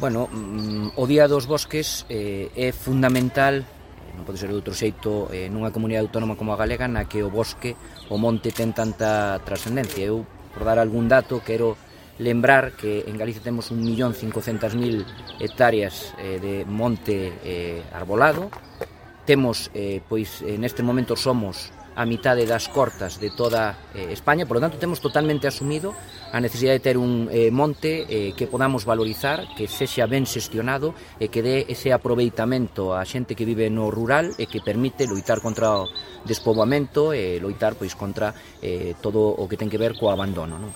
Bueno, o Día dos Bosques é fundamental, non pode ser de outro xeito, nunha comunidade autónoma como a galega na que o bosque, o monte, ten tanta trascendencia. Eu, por dar algún dato, quero lembrar que en Galicia temos 1.500.000 hectáreas de monte arbolado. Temos, pois, neste momento somos a mitade das cortas de toda España, por lo tanto temos totalmente asumido a necesidade de ter un monte que podamos valorizar, que sexa ben xestionado e que dé ese aproveitamento á xente que vive no rural e que permite loitar contra o despoboamento e loitar pois contra todo o que ten que ver co abandono, non?